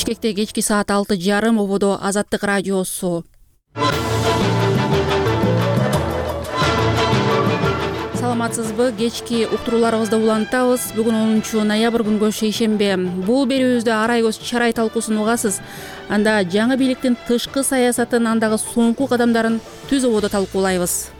Бишкекте кечки саат 6:30 ободо Азаттык радиосу. Саламатсызбы? Кечки уктурууларыбызды улантабыз. Бүгүн 10 ноябрь күнгө шейшембе. Бул берүүбүздө арай көз чарай талкуусун угасыз. Анда жаңы бийликтин тышкы саясатын, андагы соңку кадамдарын түз ободо талкуулайбыз.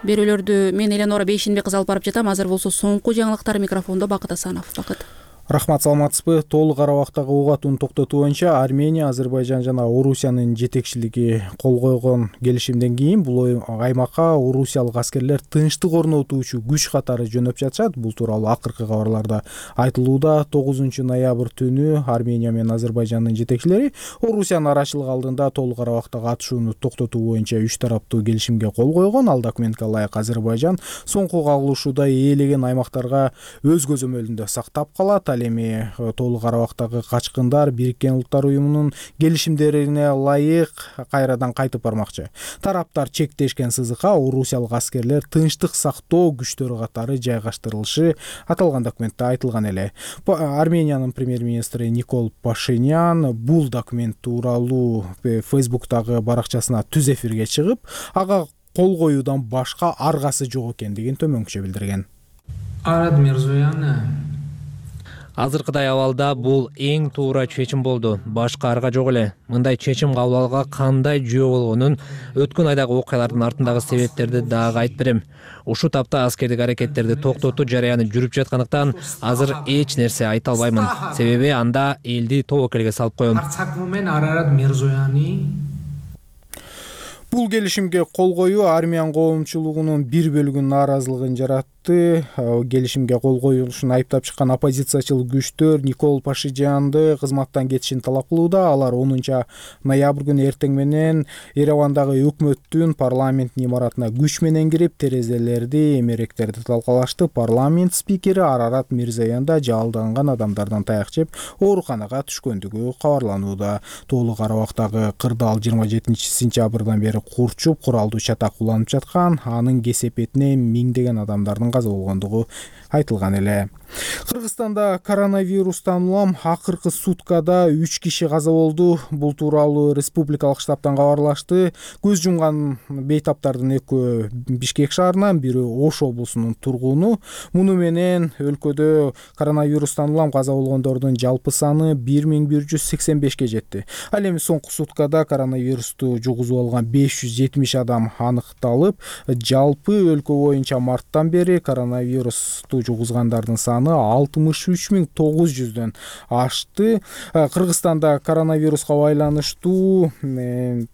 Берүүлөрдү мен Эленора Бейшинбек кызы алып барып жатам. Азыр болсо соңку жаңылыктар микрофондо Бакыт Асанов. Бакыт. Рахмат, саламатсызбы? Толук Карабактагы угатууну токтотуу боюнча Армения, Азербайжан жана Орусиянын жетекчилиги кол койгон келишимден кийин бул аймакка орусиялык аскерлер тынчтык орнотуучу күч катары жөнөп жатышат. Бул тууралуу акыркы кабарларда айтылууда. 9 ноябрь түнү Армения менен Азербайжандын жетекчилери Орусиянын арачылыгы алдында Толук Карабактагы атышууну токтотуу боюнча 3 тараптуу келишимге кол койгон. Ал документке ылайык Азербайжан соңку кагылышууда ээлеген аймактарга өз көзөмөлүндө сактап калат. Ал эми Толук Карабактагы качкындар Бириккен Улуттар уюмунун келишимдерине ылайык кайрадан кайтып бармакчы. Тараптар чектешкен сызыкка орусиялык аскерлер тынчтык сактоо күчтөрү катары жайгаштырылышы аталган документте айтылган эле. Армениянын премьер-министри Никол Пашинян бул документ тууралуу Facebook'тагы баракчасына түз эфирге чыгып, ага кол коюудан башка аргасы жок экендигин төмөнкүчө билдирген. Арат Мирзоян Азыркыдай абалда бул эң туура чечим болду. Башка арга жок эле. Мындай чечим кабыл алууга кандай жөө болгонун өткөн айдагы окуялардын артындагы себептерди дагы айтып берем. Ушул тапта аскердик аракеттерди токтотуу жараяны жүрүп жаткандыктан азыр эч нерсе айта албаймын. Себеби анда элди тобокелге салып коем. Бул келишимге кол коюу Армян коомчулугунун бир бөлүгүнүн нааразылыгын жаратты. Келишимге кол коюлушун айыптап чыккан оппозициячыл күчтөр Никол Пашинянды кызматтан кетишин талап кылууда. Алар 10 ноябрь күнү эртең менен Еревандагы өкмөттүн парламенттин имаратына күч менен кирип, терезелерди, эмеректерди талкалашты. Парламент спикери Арарат Мирзоян да жалданган адамдардан таяк жеп ооруканага түшкөндүгү кабарланууда. Толук Карабактагы кырдаал 27 сентябрдан бери курчуп, куралдуу чатак уланып жаткан, анын кесепетине миңдеген адамдардын каза болгондугу айтылган эле. Кыргызстанда коронавирустан улам акыркы суткада 3 киши каза болду. Бул тууралуу республикалык штабтан кабарлашты. Көз жумган бейтаптардын экөө Бишкек шаарынан, бири Ош облусунун тургуну. Муну менен өлкөдө коронавирустан улам каза болгондордун жалпы саны 1185ке жетти. Ал эми соңку суткада коронавирусту жугузуп алган 570 адам аныкталып, жалпы өлкө боюнча марттан бери коронавирусту жугузгандардын саны 63900дөн ашты. Кыргызстанда коронавируска байланыштуу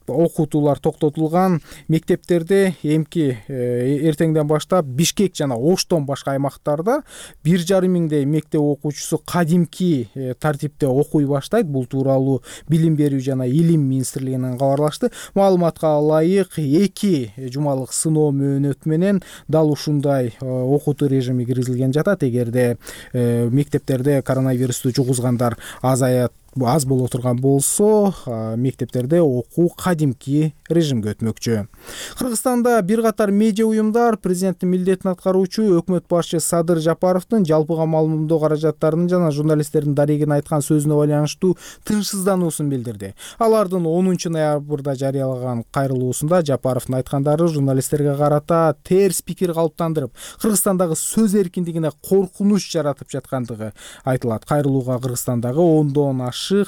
окутуулар токтотулган. Мектептерде эмки эртеңден баштап Бишкек жана Оштон башка аймактарда 1,5 миңдей мектеп окуучусу кадимки тартипте окуй баштайт. Бул тууралуу Билим берүү жана Илим министрлигинен кабарлашты. Маалыматка ылайык 2 жумалык сыноо мөөнөтү менен дал ушундай окутуу режими киргизилген жатат. Эгерде мектептерде коронавирусту жугузгандар аз боло турган болсо, мектептерде окуу кадимки режимге өтмөкчү. Кыргызстанда бир катар медиа уюмдар президенттин милдетин аткаруучу өкмөт башчы Садыр Жапаровдун жалпыга маалымдоо каражаттарынын жана журналисттердин дарегин айткан сөзүнө байланыштуу тынчсыздануусун билдирди. Алардын 10 ноябрда жарыялаган кайрылуусунда Жапаровдун айткандары журналисттерге карата терс пикир калыптандырып, Кыргызстандагы сөз эркиндигине коркунуч жаратып жаткандыгы айтылат. Кайрылууга Кыргызстандагы ондон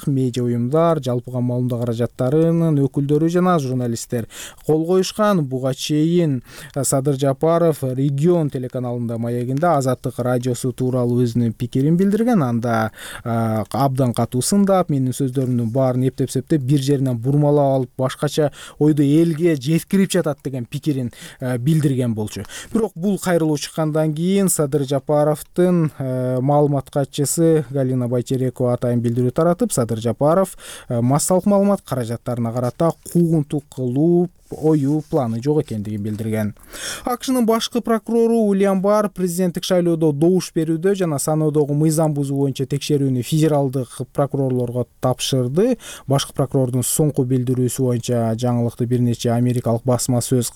медиа уюмдар, жалпыга маалымдоо каражаттарынын өкүлдөрү жана журналисттер кол коюшкан. Буга чейин Садыр Жапаров Регион телеканалында маегинде Азаттык радиосу тууралуу өзүнүн пикирин билдирген. Анда абдан катуу сындап, менин сөздөрүмдүн баарын эптеп-септеп бир жеринен бурмалап алып, башкача ойду элге жеткирип жатат деген пикирин билдирген болчу. Бирок бул кайрылуу чыккандан кийин Садыр Жапаровдун маалымат катчысы Галина Байчерекова атайын билдирүү таратып, Садыр Жапаров массалык маалымат каражаттарына карата куугунтук кылуу оюу планы жок экендигин билдирген. АКШнын башкы прокурору Уильям Барр президенттик шайлоодо добуш берүүдө жана саноодогу мыйзам бузуу боюнча текшерүүнү федералдык прокурорлорго тапшырды. Башкы прокурордун соңку билдирүүсү боюнча жаңылыкты бир нече америкалык басма сөз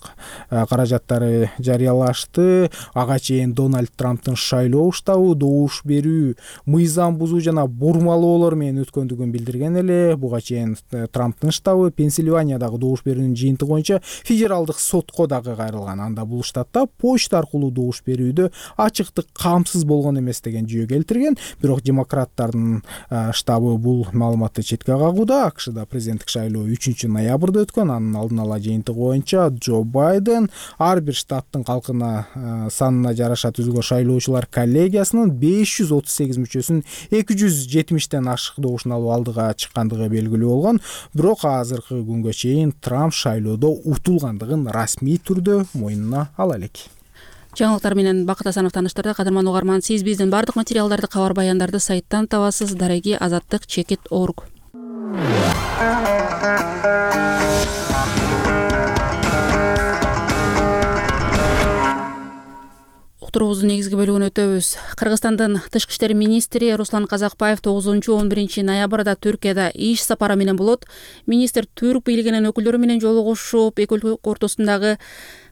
каражаттары жарыялашты. Ага чейин Дональд Трамптын шайлоо штабы добуш берүү мыйзам бузуу жана бурмалоолор менен өткөндүгүн билдирген эле. Буга чейин Трамптын штабы Пенсильваниядагы добуш берүүнүн жыйынтыгы боюнча федералдык сотко дагы кайрылган. Анда бул штатта почта аркылуу добуш берүүдө ачыктык камсыз болгон эмес деген жүйө келтирген. Бирок демократтардын штабы бул маалыматты четке кагууда. АКШда президенттик шайлоо 3 ноябрда өткөн. Анын алдын ала жыйынтыгы боюнча Джо Байден ар бир штаттын калкына санына жараша түзүлгөн шайлоочулар коллегиясынын 538 мүчөсүнүн 270тен ашык добушун алып алдыга чыккандыгы белгилүү болгон. Бирок азыркы күнгө чейин Трамп шайлоодо утулгандыгын расмий түрдө мойнуна ала элек. Жаңылыктар менен Бакыт Асанов тааныштырды. Кадырман угарман, сиз биздин бардык материалдарды, кабар баяндарды сайттан табасыз. Дареги azаттык.org. Уктуруубуздун негизги бөлүгүнө өтөбүз. Кыргызстандын тышкы иштер министри Руслан Казакбаев 9-11 ноябрда Түркияда иш сапары менен болот. Министр түрк бийлигинин өкүлдөрү менен жолугушуп, эки өлкө ортосундагы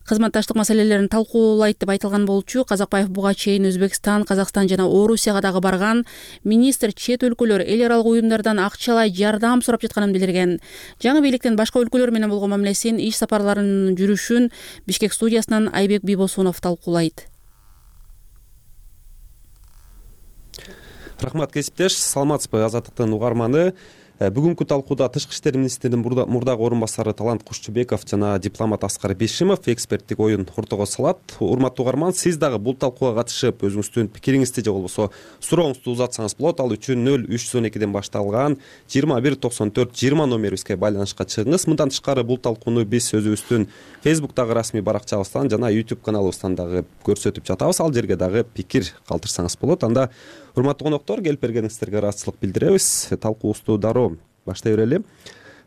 кызматташтык маселелерин талкуулайт деп айтылган болчу. Казакбаев буга чейин Өзбекстан, Казакстан жана Орусияга дагы барган. Министр чет өлкөлөр эл аралык уюмдардан акчалай жардам сурап жатканын билдирген. Жаңы бийликтин башка өлкөлөр менен болгон мамилесин, иш сапарларынын жүрүшүн Бишкек студиясынан Айбек Бибосунов талкуулайт. Рахмат кесиптеш, саламатсызбы Азаттыктын угарманы. Бүгүнкү талкууда тышкы иштер министринин мурдагы орун басары Талант Кушчубеков жана дипломат Аскар Бишимов эксперттик оюн ортого салат. Урматтуу угарман, сиз дагы бул талкууга катышып, өзүңүздүн пикириңизди же болбосо сурооңузду узатсаңыз болот. Ал үчүн 0312ден башталган 2194-20 номерибизге байланышка чыгыңыз. Мындан тышкары бул талкууну биз өзүбүздүн Facebook'тагы расмий баракчабыздан жана YouTube каналыбыздан дагы көрсөтүп жатабыз. Ал жерге дагы пикир калтырсаңыз болот. Анда урматтуу коноктор, келип бергениңиздерге ыраазычылык билдиребиз. Талкуубузду дароо баштай берели.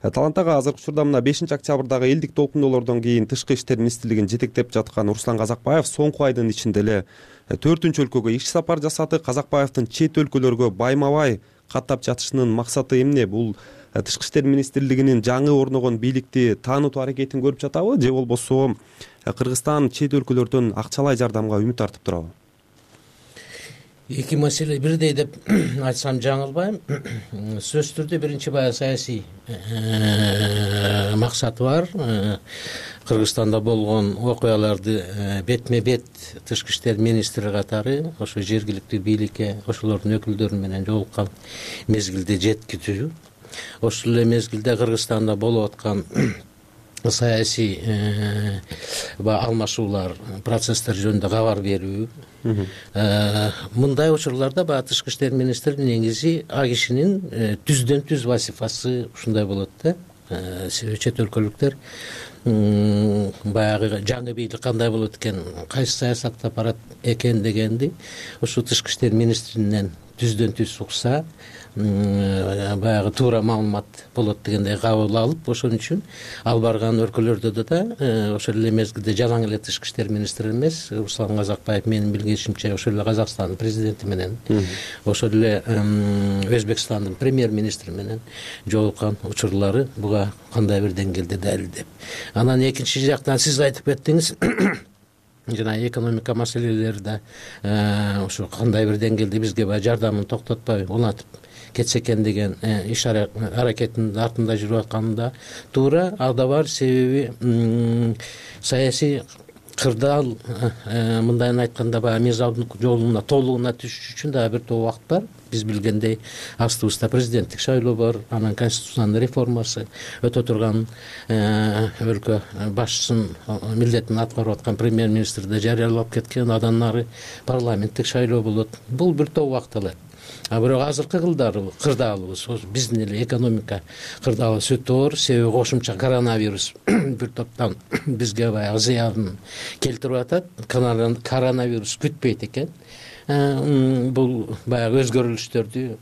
Таланттагы азыркы учурда мына 5-октябрдагы элдик толкундоолордон кийин тышкы иштер министрлигин жетектеп жаткан Руслан Казакбаев соңку айдын ичинде эле 4-өлкөгө иш сапар жасады. Казакбаевдин чет өлкөлөргө байма-бай каттап жатышынын максаты эмне? Бул тышкы иштер министрлигинин жаңы орногон бийликти таанытуу аракетин көрүп жатабы же болбосо Кыргызстан чет өлкөлөрдөн акчалай жардамга үмүт артып турабы? Эки маселе бирдей деп айтсам жаңылбайм. Сөзсүз түрдө биринчи баягы саясий максаты бар. Кыргызстанда болгон окуяларды бетме бет тышкы иштер министри катары ошо жергиликтүү бийликке ошолордун өкүлдөрү менен жолуккан мезгилде жеткирүү. Ошол эле мезгилде Кыргызстанда болуп аткан саясий алмашуулар, процесстер жөнүндө кабар берүү. Мындай учурларда баягы тышкы иштер министринин негизи а кишинин түздөн түз вазифасы ушундай болот да. Чет өлкөлүктөр баягы жаңы бийлик кандай болот экен, кайсы саясатта барат экен дегенди ушу тышкы иштер министринен түздөн түз укса, баягы туура маалымат болот дегендей кабыл алып, ошон үчүн ал барган өлкөлөрдө да ошол эле мезгилде жалаң эле тышкы иштер министри эмес, Руслан Казакбаев менин билгенимче ошол эле Казакстандын президенти менен, ошол эле Өзбекстандын премьер-министри менен жолуккан учурлары буга кандай бир деңгээлде далилдеп. Анан экинчи жактан сиз айтып кеттиңиз, жана экономика маселелери да ошо кандай бир деңгээлде бизге баягы жардамын токтотпой улантып кетсе экен деген иш аракетинин артында жүрүп атканында туура, ал да бар. Себеби саясий кырдаал, мындайын айтканда баягы мыйзамдын жолуна толугуна түшүш үчүн дагы бир топ убакыт бар. Биз билгендей астыбызда президенттик шайлоо бар, анан конституциянын реформасы өтө турган, өлкө башчысынын милдетин аткарып аткан премьер-министр да жарыялап кеткен, андан ары парламенттик шайлоо болот. Бул бир топ убакыт алат. А бирок азыркы кырдаалыбыз, биздин эле экономика кырдаалыбыз өтө оор. Себеби кошумча коронавирус бир топтон бизге баягы зыянын келтирип атат. Коронавирус күтпөйт экен. Бул баягы өзгөрүлүштөрдү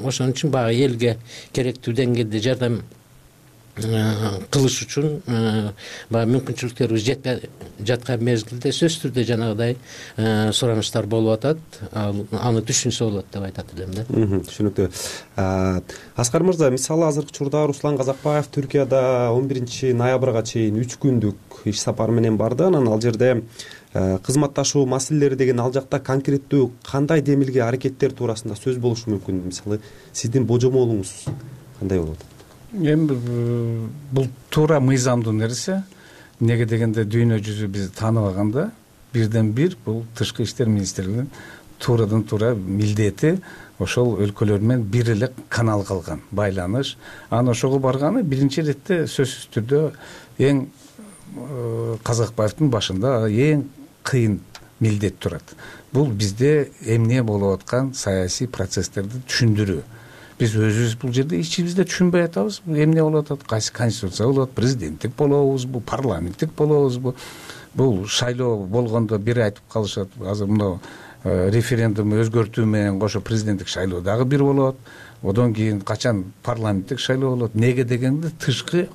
ошон үчүн баягы элге керектүү деңгээлде жардам кылыш үчүн баягы мүмкүнчүлүктөрүбүз жетпей жаткан мезгилде сөзсүз түрдө жанагыдай суранычтар болуп атат. Аны түшүнсө болот деп айтат элем да. Түшүнүктүү. Аскар мырза, мисалы азыркы учурда Руслан Казакбаев Түркияда 11 ноябрга чейин 3 күндүк иш сапары менен барды. Анан ал жерде кызматташуу маселелери деген ал жакта конкреттүү кандай демилге аракеттер туурасында сөз болушу мүмкүн? Мисалы сиздин божомолуңуз кандай болот? Эми бул туура мыйзамдуу нерсе. Неге дегенде дүйнө жүзү бизди тааныбаганда бирден бир бул Тышкы иштер министрлигинин туурадан туура милдети ошол өлкөлөр менен бир эле канал калган байланыш. Анан ошого барганы биринчи иретте сөзсүз түрдө эң Казакбаевдин башында эң кыйын милдет турат. Бул бизде эмне болуп аткан саясий процесстерди түшүндүрүү. Биз өзүбүз бул жерде ичибизде түшүнбөй атабыз. Эмне болуп атат? Кайсы конституция болот? Президенттик болобузбу? Парламенттик болобузбу? Бул шайлоо болгондо бир айтып калышат. Азыр мына референдум өзгөртүү менен кошо президенттик шайлоо дагы бир болот. Одон кийин качан парламенттик шайлоо болот? Неге дегенде тышкы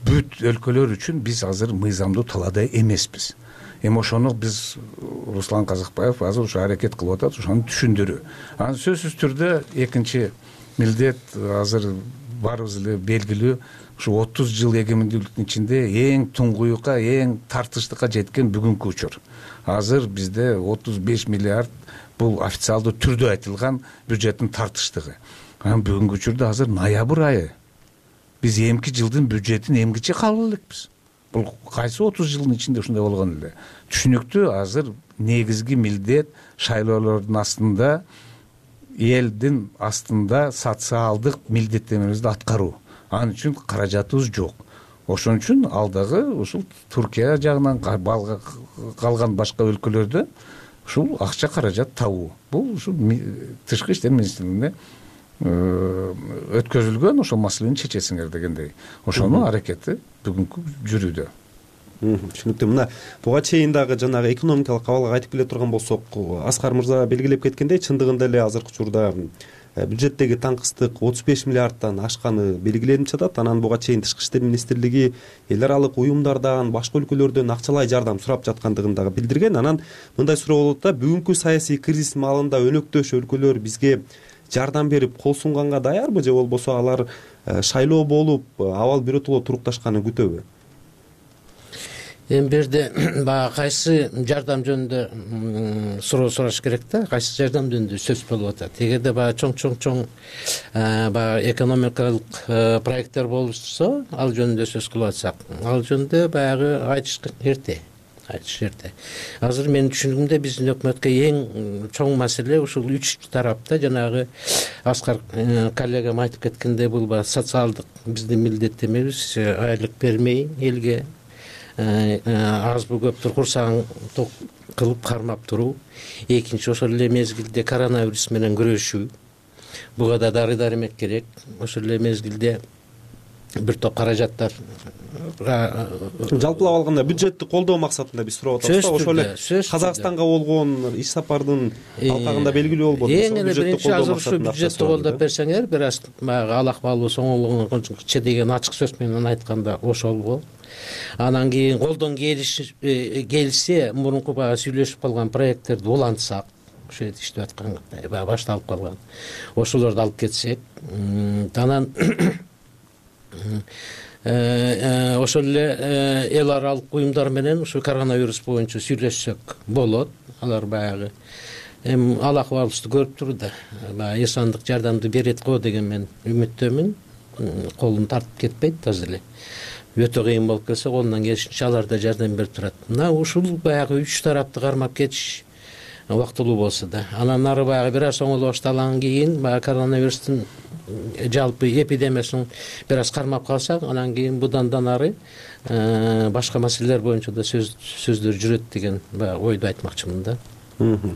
бүт өлкөлөр үчүн биз азыр мыйзамдуу талаада эмеспиз. Эми ошону биз Руслан Казакбаев азыр ошо аракет кылып атат, ошону түшүндүрүү. Анан сөзсүз түрдө экинчи милдет азыр баарыбыз эле белгилүү, ушу 30 жыл эгемендүүлүктүн ичинде эң туңгуюкка, эң тартыштыкка жеткен бүгүнкү учур. Азыр бизде 35 миллиард бул официалдуу түрдө айтылган бюджеттин тартыштыгы. Анан бүгүнкү учурда азыр ноябрь айы. Биз эмки жылдын бюджетин эмгиче кабыл элекпиз. Бул кайсы 30 жылдын ичинде ушундай болгон эле. Түшүнүктүү, азыр негизги милдет шайлоолордун астында, элдин астында социалдык милдеттенмелерибизди аткаруу. Анын үчүн каражатыбыз жок. Ошон үчүн алдагы ушул Түркия жагынан калган башка өлкөлөрдө ушул акча каражат табуу. Бул ушул Тышкы иштер министрлигине өткөзүлгөн ошол маселени чечесиңер дегендей. Ошонун аракети бүгүнкү жүрүүдө. Түшүнүктүү. Мына буга чейин дагы жанагы экономикалык абалга айтып келе турган болсок, Аскар мырза белгилеп кеткендей, чындыгында эле азыркы учурда бюджеттеги таңкыстык 35 миллиардтан ашканы белгиленип жатат. Анан буга чейин Тышкы иштер министрлиги эл аралык уюмдардан, башка өлкөлөрдөн акчалай жардам сурап жаткандыгын дагы билдирген. Анан мындай суроо болот да, бүгүнкү саясий кризис маалында өнөктөш өлкөлөр бизге жардам берип кол сунганга даярбы, же болбосо алар шайлоо болуп абал биротоло турукташканын күтөбү? Эми берде баягы кайсы жардам жөнүндө суроо сураш керек да, кайсы жардам жөнүндө сөз болуп атат. Эгерде баягы чоң баягы экономикалык проекттер болуп турса, ал жөнүндө сөз кылып атсак, ал жөнүндө баягы айтыш эрте. Азыр менин түшүнүгүмдө биздин өкмөткө эң чоң маселе ушул 3 тарапта, жанагы Аскар коллегам айтып кеткендей, бул социалдык биздин милдеттенмебиз, айлык бермей элге азбы көптүр курсагын ток кылып кармап туруу. Экинчи, ошол эле мезгилде коронавирус менен күрөшүү. Буга да дары-дармек керек. Ошол эле мезгилде бир топ каражаттар жалпылап алганда бюджетти колдоо максатында биз сурап атабыз да. Ошол эле Казакстанга болгон иш сапардын алкагында белгилүү болбоду. Эң эле биринчи азыр ушу бюджетти колдоп берсеңер, бир аз баягы алакбалуу соңолугунча деген ачык сөз менен айтканда ошол болот. Анан кийин колдон келсе, мурунку баягы сүйлөшүп калган проекттерди улантсак, ошол жерде иштеп аткан баягы башталып калган, ошолорду алып кетсек, анан ошол эле эл аралык уюмдар менен ушу коронавирус боюнча сүйлөшсөк болот. Алар баягы эми ал акыбалыбызды көрүп турду, баягы эсандык жардамды берет го деген мен үмүттөмүн. Колун тартып кетпейт азыр эле. Өтө кыйын болуп келсе, колунан келишинче алар да жардам берип турат. Мына ушул баягы 3 тарапты кармап кетиш убактылуу болсо да. Анан ары баягы бир аз оңоло баштагандан кийин баягы коронавирустун жалпы эпидемиясын бир аз кармап калсак, анан кийин будан ары башка маселелер боюнча да сөздөр жүрөт деген баягы ойду айтмакчымын да.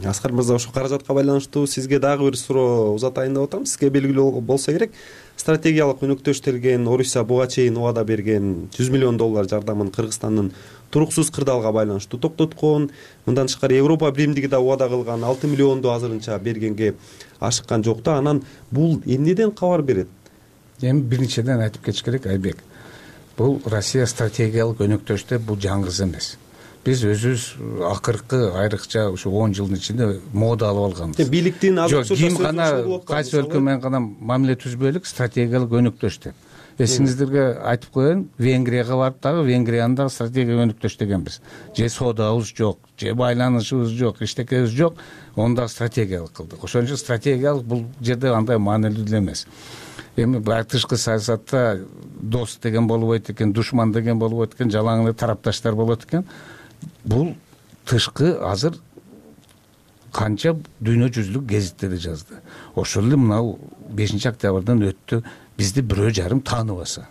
Аскар мырза, ошо каражатка байланыштуу сизге дагы бир суроо узатайын деп атам. Сизге белгилүү болсо керек, стратегиялык өнөктөштөлгөн Орусия буга чейин убада берген $100 миллион жардамын Кыргызстандын туруксуз кырдаалга байланыштуу токтоткон. Мындан тышкары Европа биримдиги да убада кылган $6 миллионду азырынча бергенге ашыккан жок да. Анан бул эмнеден кабар берет? Эми бир нечеден айтып кетиш керек, Айбек. Бул Россия стратегиялык өнөктөштө бул жаңгыз эмес. Биз өзүбүз акыркы айрыкча ушу 10 жылдын ичинде мода алып алганбыз. Бийликтин жок, ким гана кайсы өлкө менен гана мамиле түзбөйлүк, стратегиялык өнөктөш деп. Эсиңиздерге айтып коеюн, Венгрияга барып дагы Венгриянын дагы стратегиялык өнөктөш дегенбиз. Же соодабыз жок, же байланышыбыз жок, эчтекебиз жок, оны дагы стратегиялык кылдык. Ошон үчүн стратегиялык бул жерде андай маанилүү деле эмес. Эми баягы тышкы саясатта дос деген болбойт экен, душман деген болбойт экен, жалаң эле тарапташтар болот экен. Бул тышкы азыр канча дүйнө жүзүлүк гезиттерде жазды. Ошол эле мынау 5-октябрдан өттү, бизди 1,5 тааныбаса,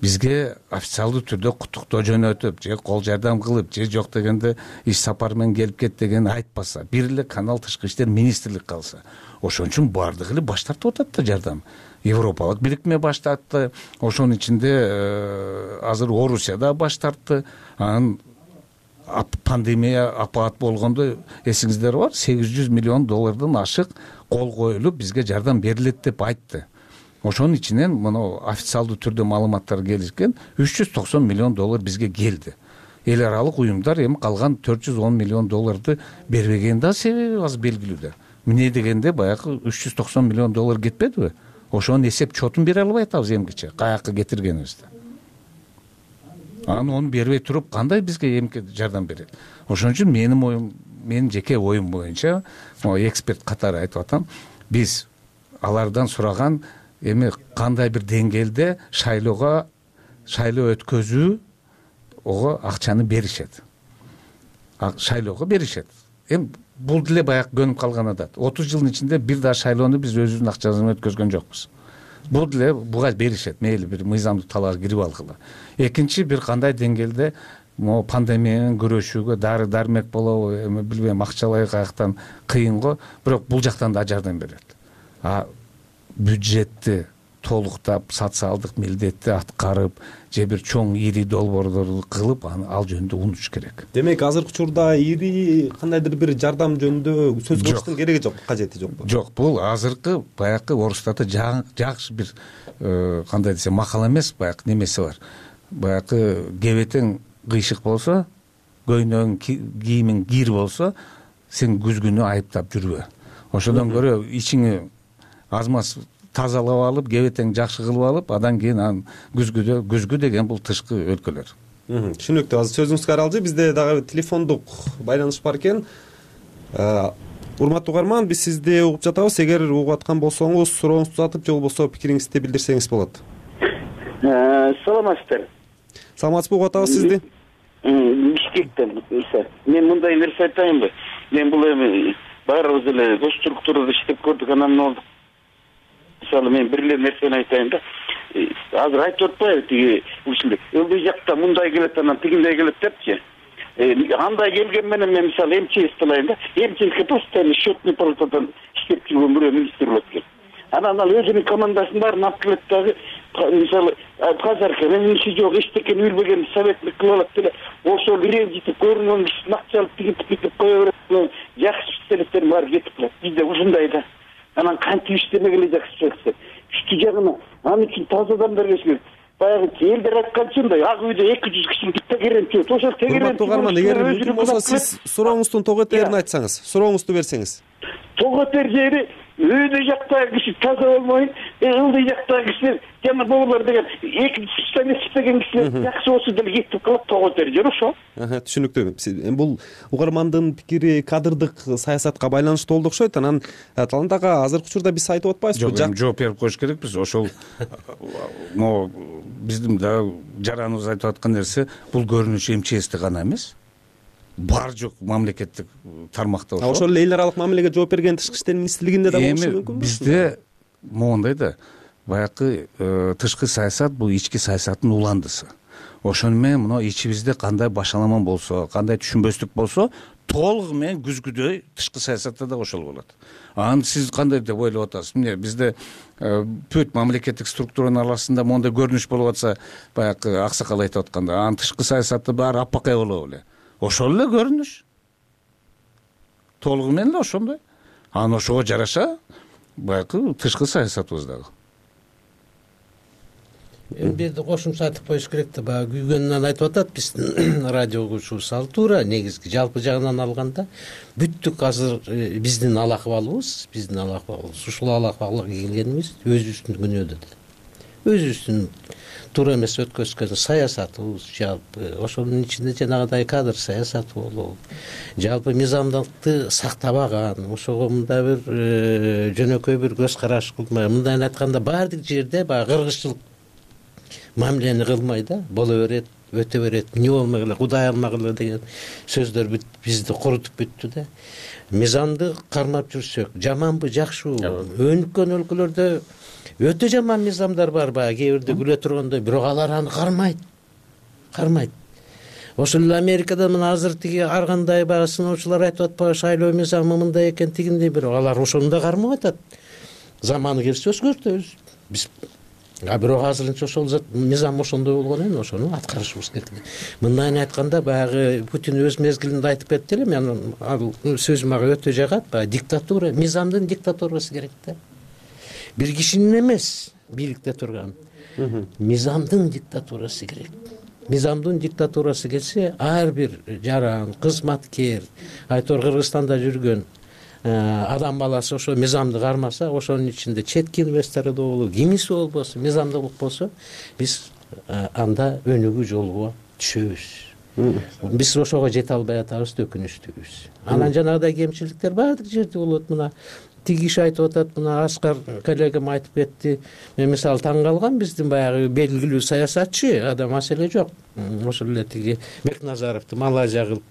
бизге официалдуу түрдө куттуктоо жөнөтүп, же кол жардам кылып, же жок дегенде иш сапар менен келип кет деген айтпаса, бир эле канал тышкы иштер министрлик калса, ошон үчүн баардыгы эле баш тартып атат да жардам. Европалык бирикме баш тартты, ошонун ичинде азыр Орусия да баш тартты. Анан пандемия апаат болгондо эсиңиздер бар, $800 миллион ашык кол коюлуп бизге жардам берилет деп айтты. Ошонун ичинен мына официалдуу түрдө маалыматтар келишкен, $390 миллион бизге келди. Эл аралык уюмдар эми калган $410 миллион бербеген да себеби азыр белгилүү да. Эмне дегенде баягы $390 миллион кетпедиби? Ошонун эсеп чотун бере албай атабыз эмгиче, каяка кетиргенибизди. Анан onu бербей туруп кандай бизге эмки жардам берет? Ошон үчүн менин жеке оюм боюнча, эксперт катары айтып атам, биз алардан сураган эми кандай бир деңгээлде шайлоо өткөзүү ого акчаны беришет. Шайлоого беришет. Эми бул деле баягы көнүп калган адат. 30 жылдын ичинде бир да шайлоону биз өзүбүздүн акчабыз менен өткөзгөн жокпуз. Бул деле буга беришет, мейли бир мыйзамдуу талаага кирип алгыла. Экинчи бир кандай деңгээлде могу пандемия менен күрөшүүгө дары дармек болобу, эми билбейм, акчалай каяктан кыйын го, бирок бул жактан да жардам берет. Бюджетти толуктап, социалдык милдетти аткарып, же бир чоң ири долбоорлорду кылып, ал жөнүндө унутуш керек. Демек азыркы учурда ири кандайдыр бир жардам жөнүндө сөз кылыштын кереги жок, кажети жокпу? Жок, бул азыркы баягы орустарда жакшы бир кандай десем макал эмес, баягы немеси бар. Баягы кебетең кыйшык болсо, көйнөгүң кийимиң кир болсо, сен күзгүнү айыптап жүрбө. Ошодон көрө ичиңи азмаз тазалап алып, кебетең жакшы кылып алып, андан кийин күзгү деген бул тышкы өлкөлөр. Түшүнүктүү. Азыр сөзүңүзгө аралжы, бизде дагы телефондук байланыш бар экен. Урматтуу угарман, биз сизди угуп жатабыз. Эгер угуп аткан болсоңуз, сурооңузду uzatып, же болбосо пикириңизди билдирсеңиз болот. Саламатсыздар. Саламатсызбы, угуп атабыз сизди. Бишкектен. Мен мындай нерсе айтайынбы? Мен бул эми баарыбыз эле гос структурада иштеп көрдүк, анан болдук. Мисалы мен бир эле нерсени айтайын да. Азыр айтып атпайбы тиги ушундай ылдый жакта мындай келет, анан тигиндей келет депчи. Андай келген менен мен мисалы МЧС талайын да. МЧСке постоянно счетный палатадан иштеп жүргөн бирөө министр болот экен. Анан ал өзүнүн командасын баарын алып келет дагы, мисалы казарка менин иши жок, эчтекени билбеген советник кылып алат деле, ошол ренжитип көрүнгөн кишини акчалып тигип кое берет. Жакшы специалисттер баары кетип калат. Бизде ушундай да. Анан кантип иштемегеле жакшы специалисттер. Үчтү жагына анын үчүн таза адамдар келиш керек. Баягы элдер айтканчындай ак үйдө 200 кишини битте керемчү. Ошол тегерем. Эгер мүмкүн болсо сиз сурооңуздун тоготерин айтсаңыз, сурооңузду берсеңиз. Тоготер жери үйдө жактагы киши таза болмой, ылдый жактагы кишилер жана бобулар деген 2 специалист деген кишилер жакшы болсо деле кетип калат тоготер жери ошо. Түшүнүктүү. Бул угармандын пикири кадрдык саясатка байланыштуу болду окшойт. Анан Талант ага, азыркы учурда биз айтып атпайбызбы? Жок, жооп берип коюш керекпиз. Ошол могу биздин да жараныбыз айтып аткан нерсе, бул көрүнүш МЧСте гана эмес. Бар жок мамлекеттик тармакта ошо. Ошол эле эл аралык мамилеге жооп берген тышкы иштер министрлигинде да болушу мүмкүнбү? Бизде моундай да, баягы тышкы саясат бул ички саясаттын уландысы. Ошону менен мына ичибизде кандай башаламан болсо, кандай түшүнбөстүк болсо, толугу менен күзгүдөй тышкы саясатта да ошол болот. Анан сиз кандай деп ойлоп атасыз? Эмне бизде бүт мамлекеттик структуранын арасында мондай көрүнүш болуп атса, баягы аксакал айтып атканда, анан тышкы саясатта баары аппакай болобу эле. Ошол эле көрүнүш. Толугу менен эле ошондой. Анан ошого жараша баягы тышкы саясатыбыз дагы. бу жерде кошумча айтып коюш керек да, баягы күйгөнүнөн айтып атат биздин радио угуучубуз. Ал туура, негизги жалпы жагынан алганда бүттүк азыр биздин ал акыбалыбыз, ушул ал акыбалга келгенибиз өзүбүздүн күнөөдөн, өзүбүздүн туура эмес өткөзгөн саясатыбыз, жалпы ошонун ичинде жанагыдай кадр саясаты болобу, жалпы мыйзамдыкты сактабаган, ошого мындай бир жөнөкөй бир көз караш кылмай, мындайын айтканда баардык жерде баягы кыргызчылык мамилени кылмай да, боло берет, өтө берет, эмне болмогула, Кудай алмагыла деген сөздөр бизди курутуп бүттү да. Мыйзамды кармап жүрсөк, жаманбы, жакшыбы? Өнүккөн өлкөлөрдө өтө жаман мыйзамдар бар, баягы кээ бирде күлө тургандай, бирок алар аны кармайт. Ошол эле Америкада мына азыр тиги ар кандай баягы сыноочулар айтып атпайбы, шайлоо мыйзамы мындай экен, тигиндей, бирок алар ошону да кармап атат. Заманы келсе өзгөртөбүз биз. Бирок азырынча ошол мыйзам ошондой болгон эми, ошону аткарышыбыз керек. Мындайын айтканда баягы Путин өз мезгилинде айтып кетти эле, мен ал сөз мага өтө жагат, баягы диктатура, мыйзамдын диктатурасы керек да. Бир кишинин эмес бийликте турган, мыйзамдын диктатурасы керек. Мыйзамдын диктатурасы келсе, ар бир жаран, кызматкер, айтор Кыргызстанда жүргөн адам баласы ошо мыйзамды кармаса, ошонун ичинде четки инвесторлор болобу, кимиси болбосо, мыйзамдуулук болсо, биз анда өнүгүү жолуна түшөбүз. Биз ошого жете албай атабыз, өкүнүчтүүбүз. Анан жанагыдай кемчиликтер баардык жерде болот. Мына тиги киши айтып атат, мына Аскар коллегам айтып кетти. Мен мисалы таң калгам, биздин баягы белгилүү саясатчы, ада маселе жок. Ошол эле тиги Бекназаровду Малайзия кылып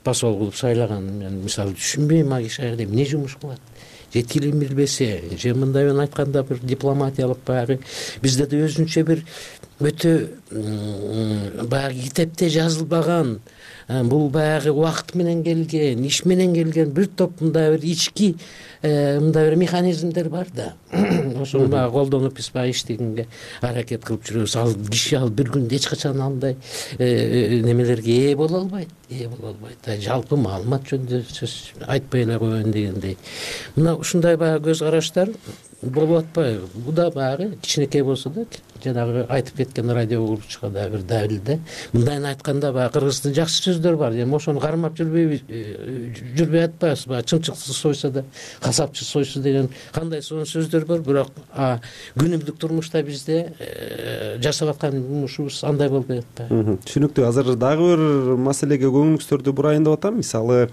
посол кылып сайлаган. Мен мисалы түшүнбөйм, ал киши аягда эмне жумуш кылат. Жеткилин билбесе, же мындайын айтканда бир дипломатиялык баягы бизде да өзүнчө бир өтө баягы китепте жазылбаган, бул баягы убакыт менен келген, иш менен келген бир топ мындай бир ички мындай бир механизмдер бар да. Ошону баягы колдонуп биз баягы иштегенге аракет кылып жүрөбүз. Ал киши ал бир күндө эч качан андай немелерге ээ боло албайт. Жалпы маалымат жөнүндө сөз айтпай эле коеюн дегендей. Мына ушундай баягы көз караштар болуп атпайбы? Бул да баягы кичинекей болсо да, жанагы айтып кеткен радио угуучуга да бир далил да. Мындайын айтканда баягы кыргыздын жакшы сөздөр бар. Эми ошону кармап жүрбөй атпайбыз. Баягы чымчыкчы сойсо да касапчы сойсу деген кандай сонун сөздөр бар. Бирок күнүмдүк турмушта бизде жашап аткан жумушубуз андай болбой атпайбы? Түшүнүктүү. Азыр дагы бир маселеге көңүлүңүздөрдү бурайын деп атам. Мисалы,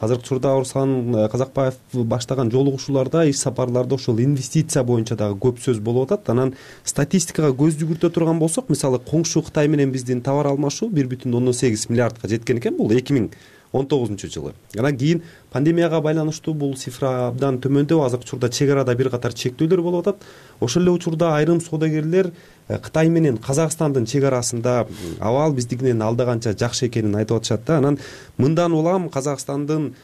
азыркы учурда Орсон Казакбаев баштаган жолугушууларда, иш сапарларда ошол инвестиция боюнча дагы көп сөз болуп атат. Анан статистикага көз жүгүртө турган болсок, мисалы коңшу Кытай менен биздин товар алмашуу 1,8 миллиардка жеткен экен, бул 2019-жылы. Анан кийин пандемияга байланыштуу бул цифра абдан төмөндөп, азыркы учурда чек арада бир катар чектөөлөр болуп атат. Ошол эле учурда айрым соодагерлер Кытай менен Казакстандын чек арасында абал биздикинен алдаганча жакшы экенин айтып атышат да. Анан мындан улам Казакстандын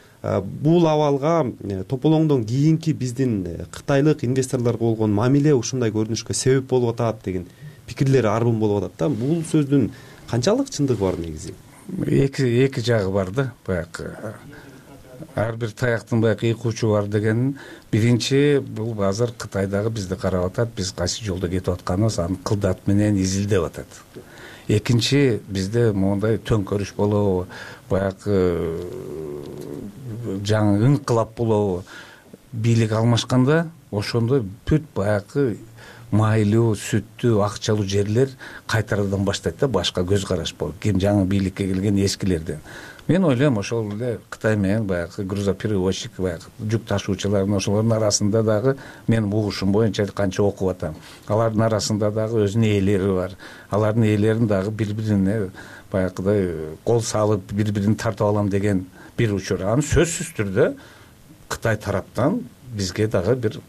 бул абалга тополоңдон кийинки биздин кытайлык инвесторлорго болгон мамиле ушундай көрүнүшкө себеп болуп атат деген пикирлер арбын болуп атат да. Бул сөздүн канчалык чындыгы бар негизи? Эки жагы бар да. Баягы ар бир таяктын баягы эки учу бар деген. Биринчи, бул азыр Кытайдагы бизди карап атат, биз кайсы жолдо кетип атканыбыз аны кылдат менен изилдеп атат. Экинчи, бизде моундай төңкөрүш болобу, баягы жаңы инкылап болобу, бийлик алмашканда ошондо бүт баягы майлуу, сүттүү, акчалуу жерлер кайтарадан баштайт да, башка көз караш болуп, ким жаңы бийликке келген эскилерден. Мен ойлойм, ошол эле Кытай менен баягы грузоперевозчик, баягы жүк ташуучулардын ошолордун арасында дагы менин угушум боюнча канча окуп атам. Алардын арасында дагы өзүнүн ээлери бар. Алардын ээлерин дагы бири-бирине баягыдай кол салып, бири-бирин тартып алам деген бир учур. Аны сөзсүз түрдө Кытай тараптан бизге дагы бир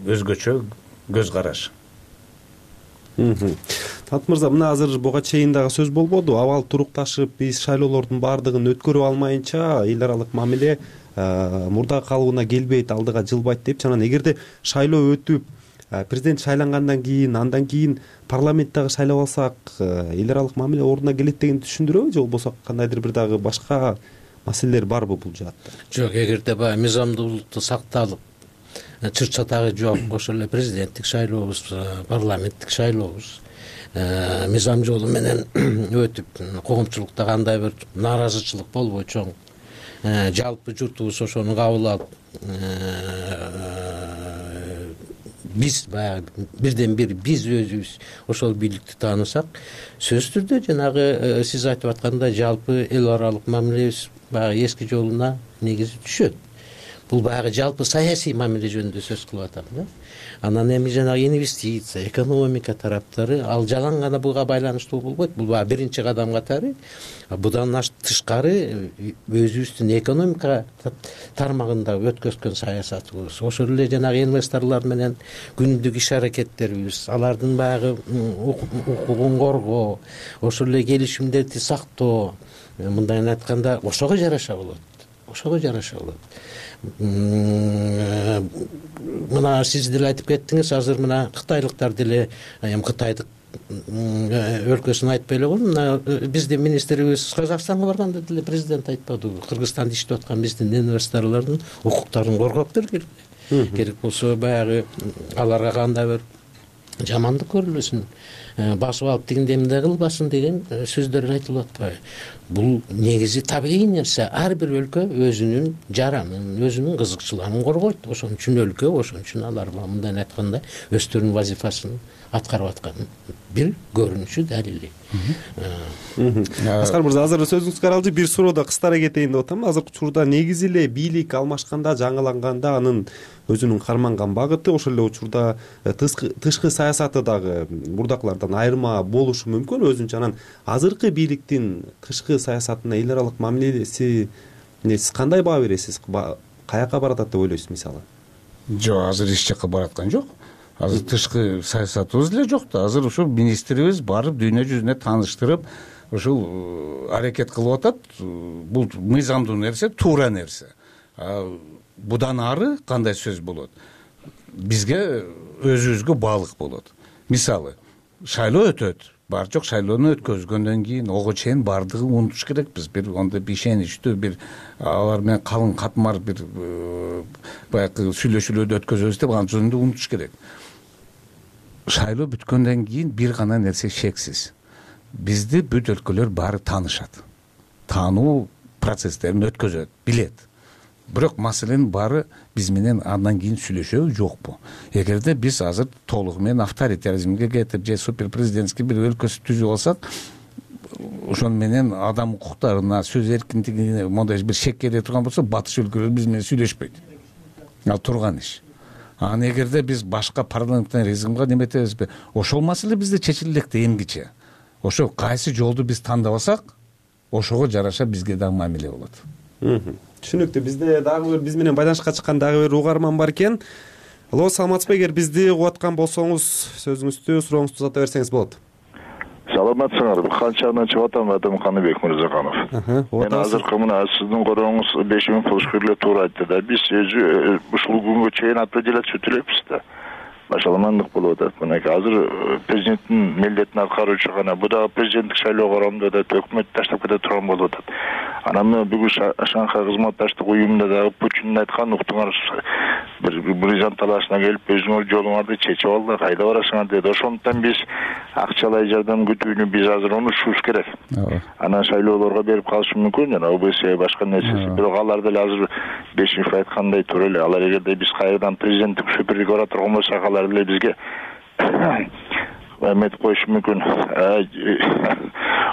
өзгөчө көз караш. Талант мырза, мына азыр буга чейин дагы сөз болбоду. Абал турукташып, биз шайлоолордун баардыгын өткөрүп алмайынча эл аралык мамиле мурдагы калыбына келбейт, алдыга жылбайт депчи. Анан эгерде шайлоо өтүп, президент шайлангандан кийин, андан кийин парламент дагы шайлап алсак, эл аралык мамиле ордуна келет деген түшүндүрөбү, же болбосо кандайдыр бир дагы башка маселелер барбы бул жаатта? Жок, эгерде баягы мыйзамдуулукту сакталып, чыр чатагы жок, ошол эле президенттик шайлообуз, парламенттик шайлообуз мыйзам жолу менен өтүп коомчулукта кандай бир нааразычылык болбой чоң жалпы журтубуз ошону кабыл алып биз баягы бирден бир биз өзүбүз ошол бийликти таанысак, сөзсүз түрдө жанагы сиз айтып аткандай жалпы эл аралык мамилебиз баягы эски жолуна негизи түшөт. Бул баягы жалпы саясий мамиле жөнүндө сөз кылып атам да. Анан эми жанагы инвестиция, экономика тараптары ал жалаң гана буга байланыштуу болбойт. Бул баягы биринчи кадам катары. Будан тышкары өзүбүздүн экономика тармагында өткөзгөн саясатыбыз, ошол эле жанагы инвесторлор менен күнүмдүк иш аракеттерибиз, алардын баягы укугун коргоо, ошол эле келишимдерди сактоо, мындай айтканда ошого жараша болот. Ошого жараша болот. Мына сиз деле айтып кеттиңиз, азыр мына кытайлыктар деле, эми Кытайдык өлкөсүн айтпай эле коеюн, мына биздин министрибиз Казакстанга барганда деле президент айтпадыбы, Кыргызстанда иштеп аткан биздин инвесторлордун укуктарын коргоп бергиле. Керек болсо баягы аларга кандай бир жамандык көрүлөсүн, басып алып тигинде эмне кылбасын деген сөздөр айтылып атпайбы. Бул негизи табигый нерсе. Ар бир өлкө өзүнүн жаранын, өзүнүн кызыкчылыгын коргойт. Ошон үчүн өлкө, ошон үчүн алар мындай айтканда өздөрүнүн вазифасын аткарып аткан бир көрүнүшү, далили. Аскар мырза, азыр сөзүңүз каралды. Бир суроода кыстара кетейин деп атам. Азыркы учурда негизи эле бийлик алмашканда, жаңыланганда анын өзүнүн карманган багыты, ошол эле учурда тышкы саясаты дагы мурдакылардан айырма болушу мүмкүн өзүнчө. Анан азыркы бийликтин тышкы саясатына эл аралык мамилеси сиз кандай баа бересиз? Каяка баратат деп ойлойсуз мисалы? Жок, азыр эч жакка бараткан жок. Азыр тышкы саясатыбыз эле жок да. Азыр ушул министрибиз барып дүйнө жүзүнө тааныштырып, ушул аракет кылып атат. Бул мыйзамдуу нерсе, туура нерсе. Будан ары кандай сөз болот? Бизге өзүбүзгө баалык болот. Мисалы, шайлоо өтөт. Бар жок шайлоону өткөзгөндөн кийин ого чейин бардыгын унутуш керекпиз. Бир онда ишеничтүү бир алар менен калың катмар бир баягы сүйлөшүүлөрдү өткөзөбүз деп аны жөнүндө унутуш керек. Шайлоо бүткөндөн кийин бир гана нерсе шексиз. Бизди бүт өлкөлөр баары таанышат. Таануу процесстерин өткөзөт, билет. Бирок маселенин баары биз менен андан кийин сүйлөшөбү, жокпу? Эгерде биз азыр толугу менен авторитаризмге кетип же суперпрезидентский бир өлкөсү түзүп алсак, ошон менен адам укуктарына, сөз эркиндигине мондай бир шек келе турган болсо, батыш өлкөлөр биз менен сүйлөшпөйт. Ал турган иш. Анан эгерде биз башка парламентаризмге неметебизби, ошол маселе бизде чечиле элек да эмгиче. Ошо кайсы жолду биз тандап алсак, ошого жараша бизге дагы мамиле болот. Түшүнүктүү. Бизде дагы бир биз менен байланышка чыккан дагы бир угарман бар экен. Алло, саламатсызбы? Эгер бизди угуп аткан болсоңуз, сөзүңүздү, сурооңузду узата берсеңиз болот. Саламатсыңарбы? Канчадан чыгып атам, атым Каныбек Мырзаканов. Мен азыркы мына сиздин корооңуз 5000 полушкерле туура айтты да. Биз өзү ушул күнгө чейин определяция өтө элекпиз да. Башаламандык болуп атат. Мынакей азыр президенттин милдетин аткаруучу гана бу дагы президенттик шайлоо кароомдо да өкмөт таштап кете турган болуп атат. Анан бүгүн Шанхай кызматташтык уюмунда дагы Путин айткан, уктуңар, бир бризант талашына келип өзүңөр жолуңарды чечип алды, кайда барасыңар деди. Ошондуктан биз акчалай жардам күтүүнү биз азыр унутушубуз керек. Анан шайлоолорго берип калышы мүмкүн, жана ОБС башка нерсеси. Бирок алар деле азыр Бешинов айткандай туура эле. Алар эгерде биз кайрадан президенттик суперге бара турган болсок, алар деле бизге эметип коюшу мүмкүн,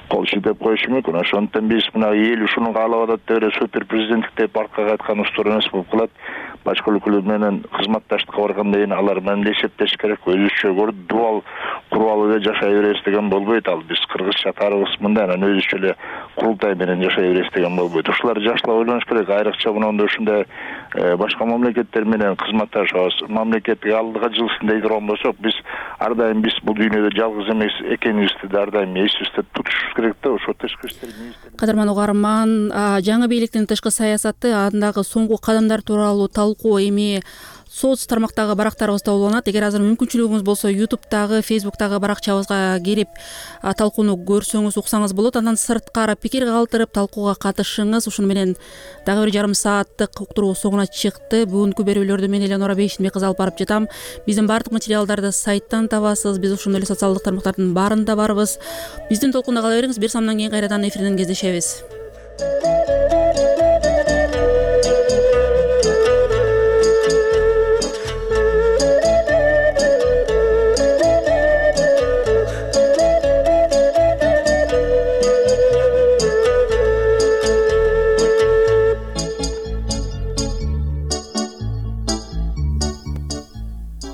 кол шилтеп коюшу мүмкүн. Ошондуктан биз мына эл ушуну каалап атат деп эле супер президенттик деп аркага кайткан устур эмес болуп калат. Башка өлкөлөр менен кызматташтыкка барганда алар менен эсептешиш керек. Өзүчө дуал куруп эле жашай беребиз деген болбойт. Ал биз кыргызча тарыгыбыз мындай, анан өзүчө эле курултай менен жашай беребиз деген болбойт. Ушулар жакшылап ойлонуш керек. Айрыкча мындай ушундай башка мамлекеттер менен кызматташабыз. Мамлекеттик алдыга жылсын дей турган болсок, биз ар дайым биз бул дүйнөдө жалгыз эмес экенибизди ар дайым эсибизде тутушубуз керек да. Ошо тышкы иштер министри. Кадырман угарман, жаңы бийликтин тышкы саясаты, андагы соңку кадамдар тууралуу талкуу эми соц тармактагы барактарыбызда уланат. Эгер азыр мүмкүнчүлүгүңүз болсо YouTube'дагы, Facebook'тагы баракчабызга кирип талкууну көрсөңүз, уксаңыз болот. Андан сырткары пикир калтырып талкууга катышыңыз. Ушуну менен дагы бир жарым сааттык уктуруу соңуна чыкты. Бүгүнкү берүүлөрдү мен Элеонора Бейшенбек кызы алып барып жатам. Биздин баардык материалдарды сайттан табасыз. Биз ошондой эле социалдык тармактардын баарында барбыз. Биздин толкунда кала бериңиз. Бир самдан кийин кайрадан эфирден кездешебиз.